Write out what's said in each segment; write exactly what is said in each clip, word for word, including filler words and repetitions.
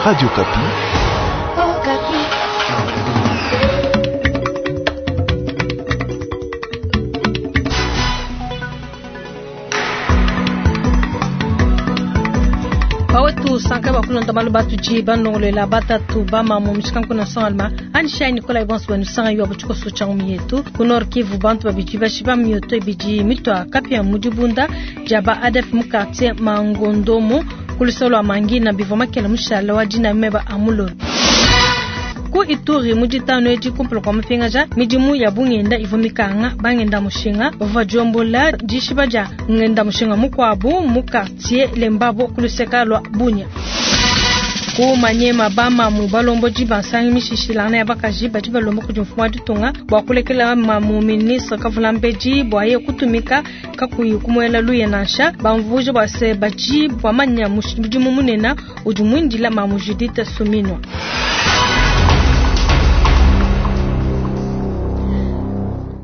Radio Okapi. Bawetu sanka bakulonda malu batuji banongolela batatu bamamu mishikanku na sonalma anishai Nikolai bonso banu sanga yo butshikoso tshangu yetu ku Nord Kivu bantu babidi bashiba mioto ibidi mitwa kapia mudibunda jaba A D F mu quartier Mangondomo kulusolo wa Mangina bivua makela mushala wa dina meba amulolo ku Ituri mu ditano edi kumpala kua mapingaja midimu ya bungenda ivua mikanga bangenda mushinga bavua diombola dishiba dia ngenda mushinga mukuabu mu quartier Lembabo kuluseka lua Bunia. Ku Manyema bamamu balombodi bansangi mishishilana ya bakaji badi balomba kudi mfumu wa ditunga bua kulekela mamu ministre Kavulambedi bua ye kutumika kakuyi kumuela luye nansha bamvuja bua se badi bamanya mudimu munene udi muindila mamu Judith Suminwa.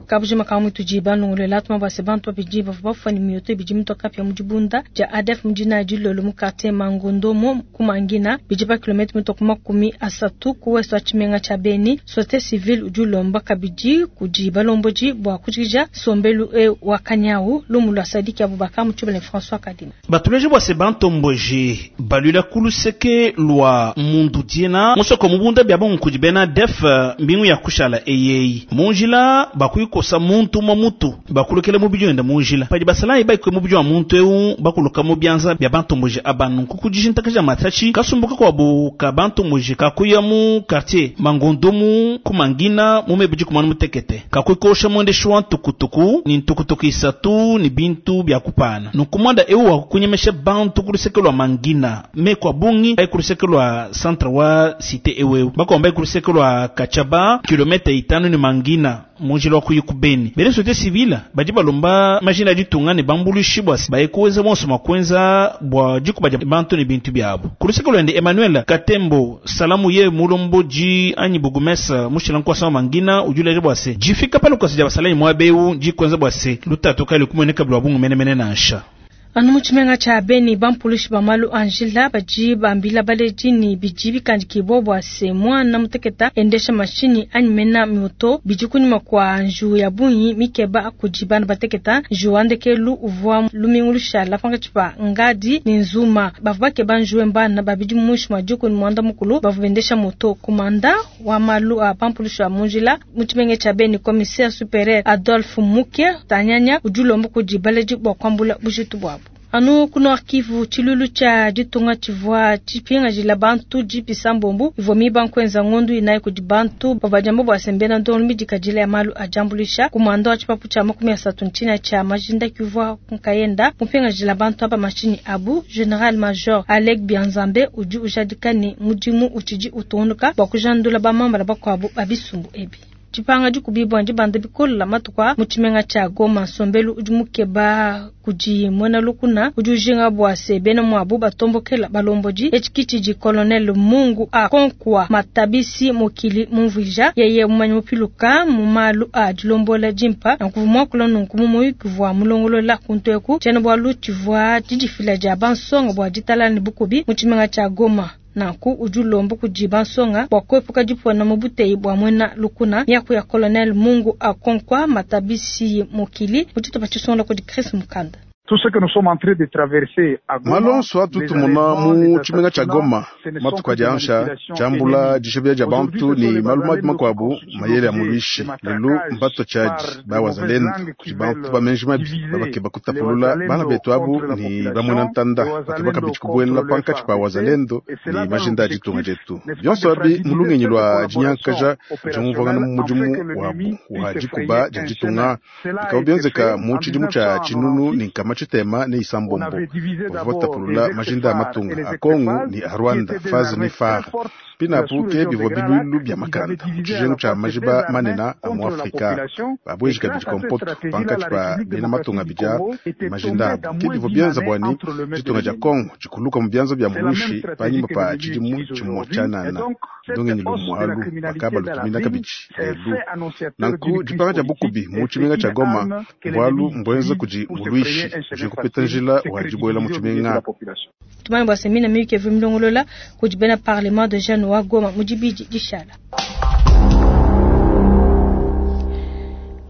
Kabujima kamu tudi banongolela tuma base bantu babidi bavua bafua ne mioto ibidi mitua kapia mu dibunda dia A D F mu dina dilolo mu quartier Mangondomo ku Mangina bidi pa kilomètre mitua ku makumi asatu ku ouest wa tshimenga tshia Beni. Société civile udi ulomba kabidi kudi balombodi bua kujikija sombelu e wa kanyawu. Lumu lua Sadiki Abubakar mu tshibele François Kadima. Batuleje bua se bantomboji balwila kuluseke lua mundu diena musoko mubunda bia bongo kudi bena A D F mbingu ya kushala eyeyi munjila bakuyikosa muntu mwa mutu bakulukela mubidi wenda munjila padi basalayi baikwe mubidi wa muntu eu bakuluka mu bianza bia bantomboji abanu kukudijintakaja matachi kasumbuka kwabu ka bantomboji kakuya mu quartier Mangondomu kumangina mumebidi kumanu mutekete kakuikosha mwendeshi wa ntukutuku ni ntukutuku isatu ni bintu bia kupana nukumwanda eu wakukunyemesha bantu kuluseke lwa Mangina me kwa bungi bai kuluseke lwa centre wa cité eweu bakomba bai kuluseke lwa Kachaba kilomètre itanu ni Mangina munjila wa kuyi kubeni. Bene société civile badi balomba majina ditunga ne bambulushi bua bayikuweza bonso makwenza bua dikuba dia bantu ne bintu biabo. Kuluseke lwende Emmanuel Katembo salamu ye mulomboji anyi bugumesa mushila nkwasa wa Mangina ujuleje bua se jifika pale kwasi dia basalayi mwabeu jikwenza bua se lutatu kali kumoneka bwa bungu menemene nansha. Anu mu tshimenga tshia Beni bampulushi ba malu a njila badi bambila baledi ne bidi bikandikibua bua se mwana muteketa endesha mashinyi anyi mena moto bidi kunyima kua njiwu ya bungi mikeba kudi bana bateketa. Njiwu wa ndekelu uvua lumingu lushala pankatshi pa Ngadi ne Nzuma bavua bakeba njiwu mbana babidi muinshi mua dikumi ne muanda mukulu bavua bendesha moto. Komanda wa malu a bampulushi ba mu njila mu tshimenga tshia Beni, commissaire supérieur Adolphe Muke Tanyanya, udi ulomba kudi baledi bua kuambula bujitu buabu. Anu ku Nord Kivu tshilulu tshia ditunga tshivua tshipingajila bantu jipisa mbombu ivua miba nkuenza ngondu inayi kudi bantu bavua diamba bua sembena ndongo midikadila ya malu a diambuluisha. Kumanda wa tshipapu tshia makumi asatu ntina tshia majinda kivua nkayenda mupingajila bantu aba mashinyi abu, général major Alec Bianzambe udi ujadika ne mudimu utshidi utungunuka bua kujandula bamambala bakuabu babisumbu ebi. Dipanga dikubibua dibanda bikola matuku mu tshimenga tshia Goma. Nsombelu udi mukeba kudi muena lukuna udi ujinga bua se bena muabu batombokela balombodi. Etshi tshidi colonel Mungu a Konkwa Matabisi Mokili mumvuija yeye mumanyi mupiluka mu malu a dilombola dimpa nankuvu muakula nunku mu muyuki vua mulongolola kuntu eku tshiena-bualu tshivua didifila dia bansonga bua ditalala ne bukubi mu tshimenga tshia Goma. Nanku udi ulomba kudi bansonga bua kuepuka dipona mu buteyi bua muena lukuna. Miaku ya colonel Mungu Akonkwa Matabisi Mokili mu tshitupa tshisongola kudi Chris Mukanda. Malonso atutumuna mu tshimenga tshia Goma matuku adi ansha tshiambula dishebela dia bantu ne malu mabi makuabu mayele ya muluishi lelu mbato tshiadi bawazalendo kudi bantu bamenji mabi babakeba kutapulula bana betu abu ne bamwena ntanda bakeba kabidi kubuela pankatshi pa wazalendo ne majinda a ditunga dietu bionso abi mu lungenyi lua dinyankaja diumvuangana mu mudimu wabu wa dikuba dia ditunga bikaba bienzeka mu tshidimu tshia tshinunu ne nkama tshitema ne isambombo bavua batapulula majinda a matunga a Kongo ne a Rwanda FAZ ne FAR pinapu ke bivua biluilu bia makanda mu tshijengu tshia majiba manene a mu Afrika babweji kabidi kompoto pankatshi pa bena matunga bidia majinda abu ke bivua bienza bwani ditunga dia Kongo dikuluka mu bianza bia muluishi panyima pa tshidimu tshimue tshianana ndongenyi lumualu bakaba lutumina kabidi lelu nanku dipanga dia bukubi mu tshimenga tshia Goma bualu mbwenza kudi muluishi. Ujinga kupeta njila wa dibuela mu tshimenga. Tumanye bua se mina miyuki ivua milongolola kudi bena parlement de jeunes wa Goma mu dibidi dishala.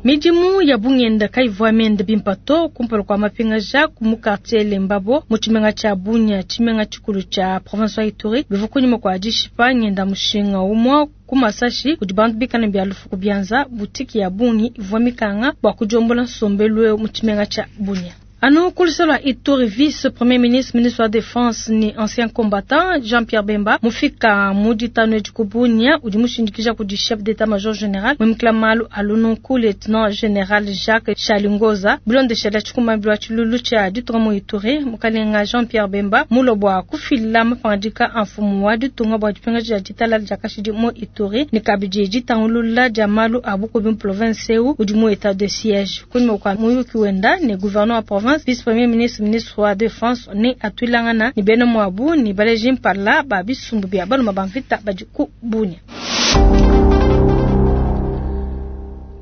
Midimu ya bungenda kayivua miende bimpe to kumpala kua mapingaja ku mu quartier Lembabo mu tshimenga tshia Bunia, tshimenga tshikulu tshia province wa Ituri, bivua kunyima kua dishipa ngenda mushinga umue ku masashi kudi bantu bikale bia lufu ku bianza. Butiki ya bungi ivua mikanga bua kudiombola nsombelu mu tshimenga tshia Bunia. Anu ku luseke lua Ituri, vice premier ministre, ministre wa défense ni ancien combattant Jean-Pierre Bemba mufika mu ditanu edi ku Bunia, udi mushindikija kudi chef d'état-major général muimikila malu a lununku lieutenant général Jacques Chalingoza. Bilondeshela tshikumambilu wa tshilulu tshia ditunga mu Ituri, mukalenga Jean-Pierre Bemba mulua bua kufila mapangadika a mfumu wa ditunga bua dipingaja dia ditalala dia kashidi mu Ituri ne kabidi ditangulula dia malu a bukubi mu province eu udi mu état de siège. Kunyima kua muyuki wenda ne gouverneur wa province, vice premier ministre, ministre wa défense ne atuilangana ne bena muabu ne baleji mpala ba bisumbu bia baluma ba mvita badi ku Bunia.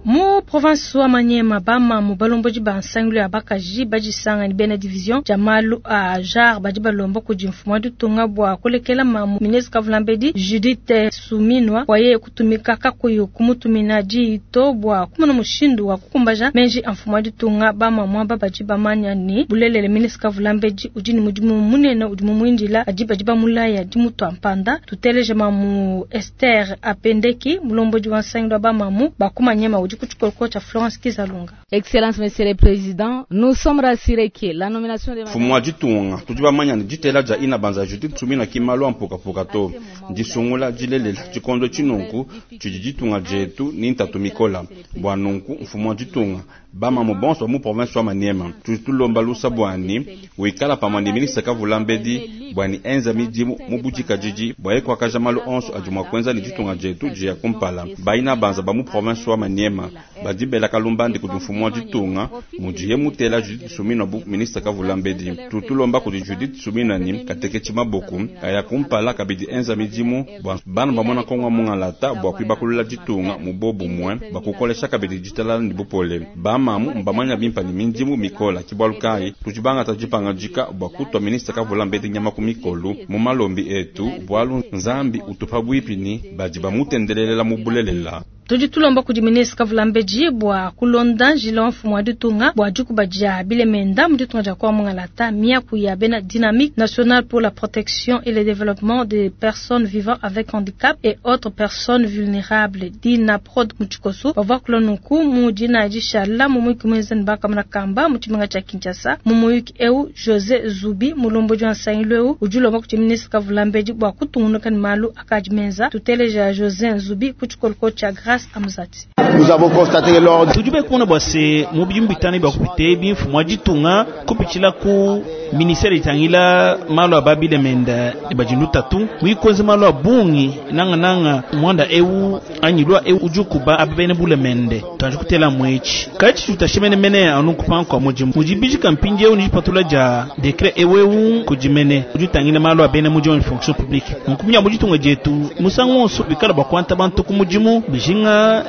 Mu province wa Maniema, bamamu balomboji ba nsangilu ya bakaji badisanga ne bena division dia malu a genre badi balomba kudi mfumu wa ditunga bua kulekela mamu ministre Kavulambedi Judith Suminwa waye kutumika kakuyi kumutumina diyi to bua kumona mushindu wa kukumbaja menji a mfumu wa ditunga. Bamamu aba badi bamanya ne bulelele ministre Kavulambedi udi ne mudimu munene udi mumuindila, adi badi bamulaya dimutua mpanda. Tuteleje mamu Esther Apendeki, mulombodi wa nsangilu wa bamamu ba ku Maniema, udi ku tshikoloko tshia Florence Kizalunga. Excellence Monsieur le Président, nous sommes rassurés que la nomination de Mfumu wa ditunga, tudi bamanya ne ditela dia inabanza Judith Suminwa ki malu a mpukapuka to disungula dilelela tshikondo tshinunku tshidi ditunga dietu ni ntatu mikola bua nunku mfumu wa ditunga, bamamu bonso mu province wa Maniema tudi tulomba lusa bwani wikala pamwe ne ministre Kavulambedi bwani enza midimu mu budikadidi bwa ye kuakaja malu onso adi mua kuenza ne ditunga dietu dia kumpala. Baina banza ba mu province wa Maniema badi bela kalumbandi kudi mfumu wa ditunga mudiye mutela Judith Suminwa bu ministre Kavulambedi. Tutulomba kudi Judith Suminwa ni kateketshi maboku aya kumpala kabidi enza midimu bua bana bamona kongo mungalata bua kuibakulula ditunga mu bobumwe bakukolesha kabidi ditalala ne bupole. Bamamu mbamanya bimpa ne midimu mikola ki bualu kayi tudi bangata dipangadika bua kutua ministre Kavulambedi nyama ku mikolu mu malombi etu bualu Nzambi utupa bwipi ni badi bamutendelelela mu bulelela. Tudi tulomba kudi ministre Kavulambedi bua kulonda njila wa mfumu wa ditunga bua dikuba dia bilemenda mu ditunga dia Kongo mungalata. Miaku ya bena Dynamique nationale pour la protection et le développement des personnes vivant avec handicap et autres personnes vulnérables, DINAPROD mu tshikoso, bavua kula nunku mu dina dishala mu muyuki muenza ne bakamana kamba mu tshimenga tshia Kinshasa. Mu muyuki eu, José Zubi, mulombodi wa nsangilu eu, udi ulomba kudi ministre Kavulambedi bua kutungunuka ne malu akadi menza. Tuteleja José Zubi ku tshikoloko tshia Grâce Amzati. Nous avons constaté lors Tudi bekumona bua se mu bidimu bitanu bia kupita ebi mfumu wa ditunga kupitshila ku ministère itangila malu a babilemenda ne badi lutatu muikonze malu a bungi nangananga mwanda eu anyi lwa eu udi ukuba aba bene bulemende tuanji kutela mwetshi katshi tutashemenemene anu kupanga kua mudimu mudi bijika mpindiewu ne dipatula dia décret eweu kudi mene udi utangila malu a bena mudimu wa fonction publique nkumya mu ditunga dietu musangu wonso bikala bua kuanta bantu ku mudimu bijinga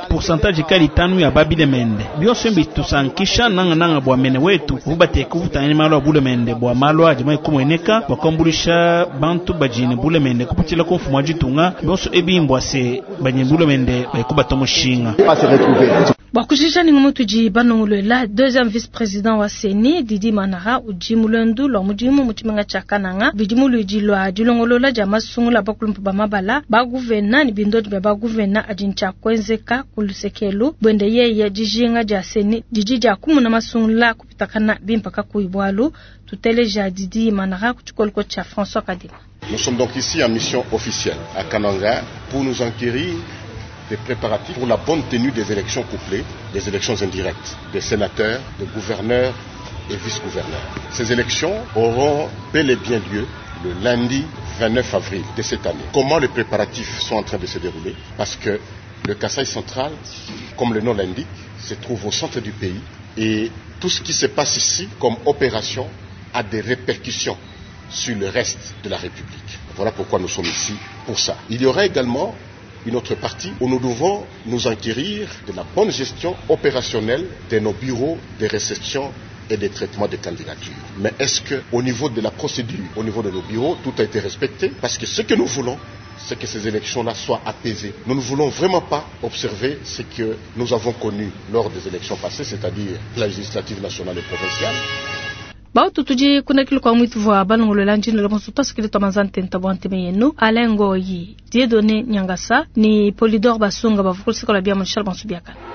pourcentage kali itanu ya babilemende bionso bitusankisha nangananga bua mene wetu ubateka ubutangila malu a bulemende bua malu adi maikumueneka bua kuambulisha bantu badi ne bulemende kupitshila ku mfumu wa ditunga bionso ebi mbua se badi ne bulemende baikubata mushinga. Pas se retrouver. Bua kujija ni ngumu tudi banongolola deuxième vice-président wa CENI Didi Manara udi mulendu lwa mudimu mu tshimenga tshia Kananga bidi muludi lwa dilongolola dia masungula bakulumpu ba mabala baguvena ne bindodi bia baguvena adi ntshia kuenzeka ku lusekelu bwende yeye dijinga dia CENI didi dia kumuna masungula kupitakana bimpa kakuyi bualu. Tuteleja Didi Manara ku tshikoloko tshia François Kadima. Nous sommes donc ici en mission officielle à Kananga pour nous enquérir des préparatifs pour la bonne tenue des élections couplées, des élections indirectes, des sénateurs, des gouverneurs et vice-gouverneurs. Ces élections auront bel et bien lieu le lundi vingt-neuf avril de cette année. Comment les préparatifs sont en train de se dérouler? Parce que le Kasaï central, comme le nom l'indique, se trouve au centre du pays et tout ce qui se passe ici comme opération a des répercussions sur le reste de la République. Voilà pourquoi nous sommes ici pour ça. Il y aura également une autre partie où nous devons nous enquérir de la bonne gestion opérationnelle de nos bureaux de réception et de traitement des candidatures. Mais est-ce que au niveau de la procédure, au niveau de nos bureaux, tout a été respecté? Parce que ce que nous voulons, c'est que ces élections-là soient apaisées. Nous ne voulons vraiment pas observer ce que nous avons connu lors des élections passées, c'est-à-dire la législative nationale et provinciale. Bautu tudi kunakili kwa mwitu vwa balongolola njina la bonso tasikili twa manzante ntabwa nteme yenu Alain Ngoyi, Dieudonné Nyangasa ni Polydor Basunga bavukulisikola bia Michel Bonso biakana.